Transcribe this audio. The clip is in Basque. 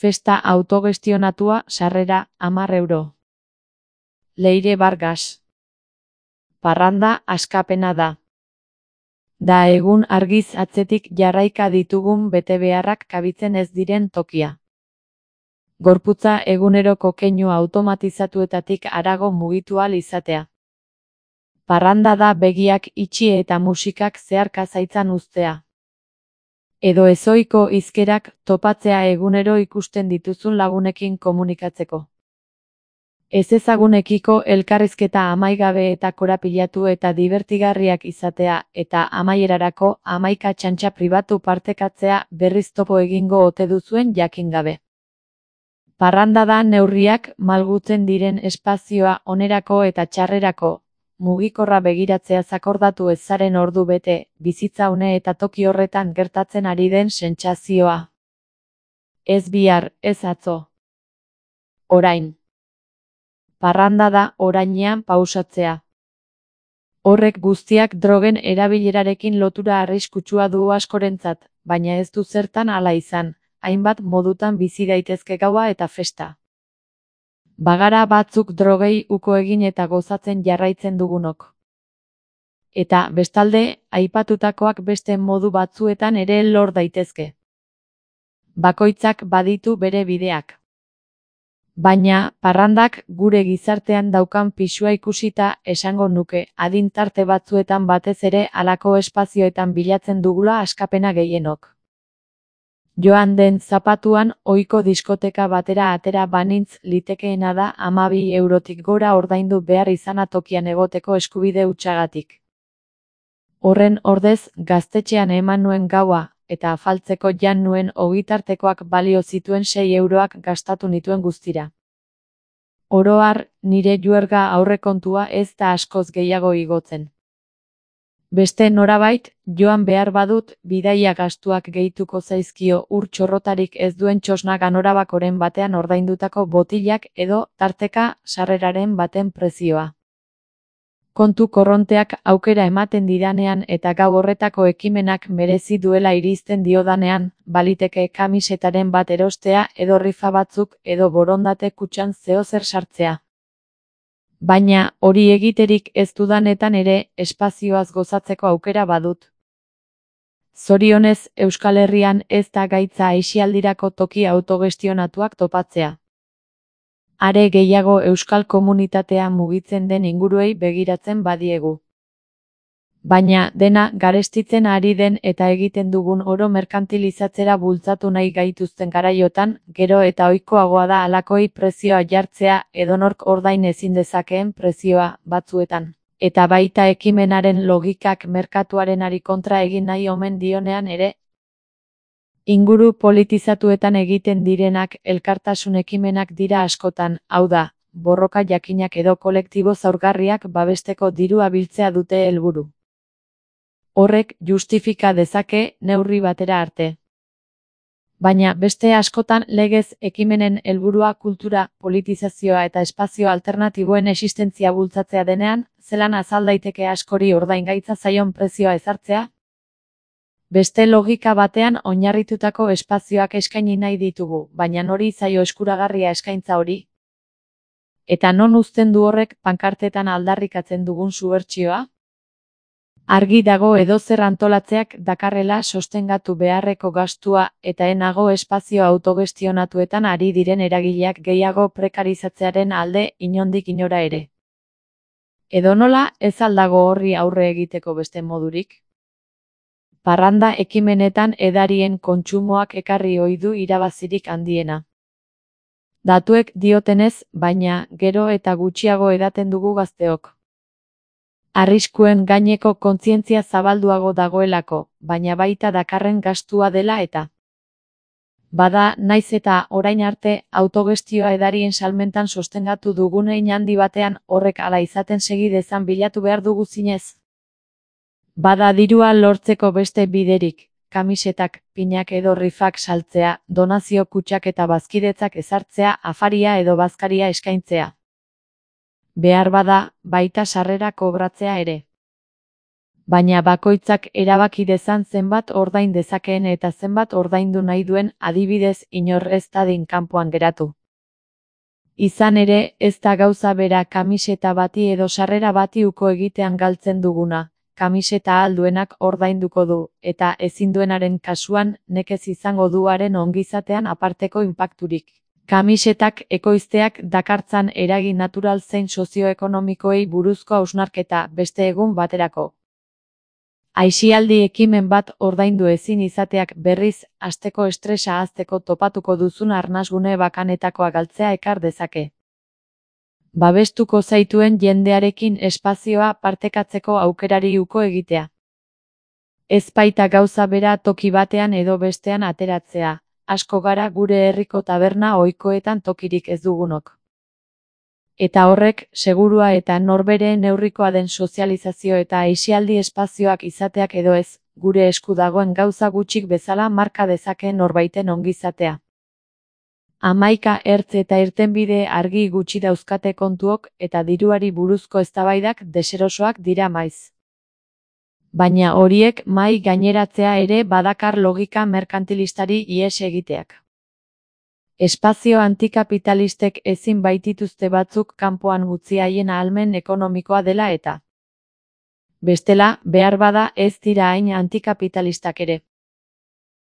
Festa autogestionatua, sarrera, 10 euro. Leire Vargas. Parranda askapena da. Da egun argiz atzetik jarraika ditugun betebeharrak kabitzen ez diren tokia. Gorputza eguneroko keinu automatizatuetatik harago mugitu ahal izatea. Parranda da begiak itxi eta musikak zeharka zaitzan uztea. Edo ezohiko hizkerak topatzea egunero ikusten dituzun lagunekin komunikatzeko. Ezezagunekiko elkarrizketa amaigabe eta korapilatu eta dibertigarriak izatea eta amaierarako 11 txantxa pribatu partekatzea berriz topo egingo ote duzuen jakin gabe. Parranda da neurriak malgutzen diren espazioa onerako eta txarrerako, mugikorra begiratzea zakordatu ez zaren ordu bete, bizitza une eta toki horretan gertatzen ari den sentsazioa. Ez bihar, ez atzo. Orain. Parranda da orainean pausatzea. Horrek guztiak drogen erabilerarekin lotura arriskutsua du askorentzat, baina ez du zertan hala izan, hainbat modutan bizi daitezke gaua eta festa. Bagara batzuk drogei uko egin eta gozatzen jarraitzen dugunok. Eta, bestalde, aipatutakoak beste modu batzuetan ere lor daitezke. Bakoitzak baditu bere bideak. Baina, parrandak gure gizartean daukan pisua ikusita esango nuke, adin tarte batzuetan batez ere halako espazioetan bilatzen dugula askapena gehienok. Joan den zapatuan ohiko diskoteka batera atera banintz litekeena da 12 eurotik gora ordaindu behar izana tokian egoteko eskubide hutsagatik. Horren ordez, gaztetxean eman nuen gaua, eta afaltzeko jan nuen ogitartekoak balio zituen 6 euroak gastatu nituen guztira. Oro har, nire juerga aurrekontua ez da askoz gehiago igotzen. Beste norabait, joan behar badut, bidaia gastuak gehituko zaizkio ur txorrotarik ez duen txosna ganorabakoren batean ordaindutako botilak edo, tarteka, sarreraren baten prezioa. Kontu korronteak aukera ematen didanean eta gau horretako ekimenak merezi duela irizten diodanean, baliteke kamisetaren bat erostea edo rifa batzuk edo borondate kutxan zeozer sartzea. Baina, hori egiterik ez dudanetan ere, espazioaz gozatzeko aukera badut. Zorionez, Euskal Herrian ez da gaitza aisialdirako toki autogestionatuak topatzea. Are gehiago euskal komunitatea mugitzen den inguruei begiratzen badiegu. Baina, dena garestitzen ari den eta egiten dugun oro merkantilizatzera bultzatu nahi gaituzten garaiotan, gero eta ohikoagoa da halakoi prezioa jartzea edonork ordain ezin dezakeen prezioa batzuetan. Eta baita ekimenaren logikak merkatuarenari kontra egin nahi omen dionean ere. Inguru politizatuetan egiten direnak elkartasun ekimenak dira askotan, hau da, borroka jakinak edo kolektibo zaurgarriak babesteko dirua biltzea dute helburu. Horrek justifika dezake neurri batera arte. Baina beste askotan legez ekimenen helburua kultura, politizazioa eta espazio alternatiboen existentzia bultzatzea denean, zelan azal daiteke askori ordaingaitza zaion prezioa ezartzea? Beste logika batean oinarritutako espazioak eskaini nahi ditugu, baina nori zaio eskuragarria eskaintza hori? Eta non uzten du horrek pankartetan aldarrikatzen dugun subertsioa? Argi dago edozer antolatzeak dakarrela sostengatu beharreko gastua eta enago espazio autogestionatuetan ari diren eragileak gehiago prekarizatzearen alde inondik inora ere. Edonola, ez al dago horri aurre egiteko beste modurik? Parranda ekimenetan edarien kontsumoak ekarri ohi du irabazirik handiena. Datuek diotenez, baina, gero eta gutxiago edaten dugu gazteok. Arriskuen gaineko kontzientzia zabalduago dagoelako, baina baita dakarren gastua dela eta. Bada, naiz eta orain arte autogestioa edarien salmentan sostengatu dugun hein handi batean horrek hala izaten segi dezan bilatu behar dugu zinez. Bada dirua lortzeko beste biderik, kamisetak, pinak edo rifak saltzea, donazio kutxak eta bazkidetzak ezartzea, afaria edo bazkaria eskaintzea. Behar bada, baita sarrera kobratzea ere. Baina bakoitzak erabaki dezan zenbat ordain dezakeen eta zenbat ordaindu nahi duen, adibidez, inor ez dadin kanpoan geratu. Izan ere, ez da gauza bera kamiseta bati edo sarrera bati uko egitean galtzen duguna. Kamiseta ahal duenak ordainduko du, eta ezin duenaren kasuan nekez izango du haren ongizatean aparteko inpakturik. Kamisetak ekoizteak dakartzan eragin natural zein sozioekonomikoei buruzko hausnarketa, beste egun baterako. Aisialdi ekimen bat ordaindu ezin izateak berriz, asteko estresa ahazteko topatuko duzun arnasgune bakanetakoa galtzea ekar dezake. Babestuko zaituen jendearekin espazioa partekatzeko aukerari uko egitea. Ez baita gauza bera toki batean edo bestean ateratzea, asko gara gure herriko taberna ohikoetan tokirik ez dugunok. Eta horrek, segurua eta norbere neurrikoa den sozializazio eta aisialdi espazioak izateak edo ez, gure esku dagoen gauza gutxik bezala marka dezake norbaiten ongizatea. 11 ertz eta irtenbide argi gutxi dauzkate kontuok eta diruari buruzko eztabaidak deserosoak dira maiz. Baina horiek mahai gaineratzea ere badakar logika merkantilistari ihes egiteak. Espazio antikapitalistek ezin baitituzte batzuk kanpoan utzi haien ahalmen ekonomikoa dela eta. Bestela, behar bada ez dira hain antikapitalistak ere.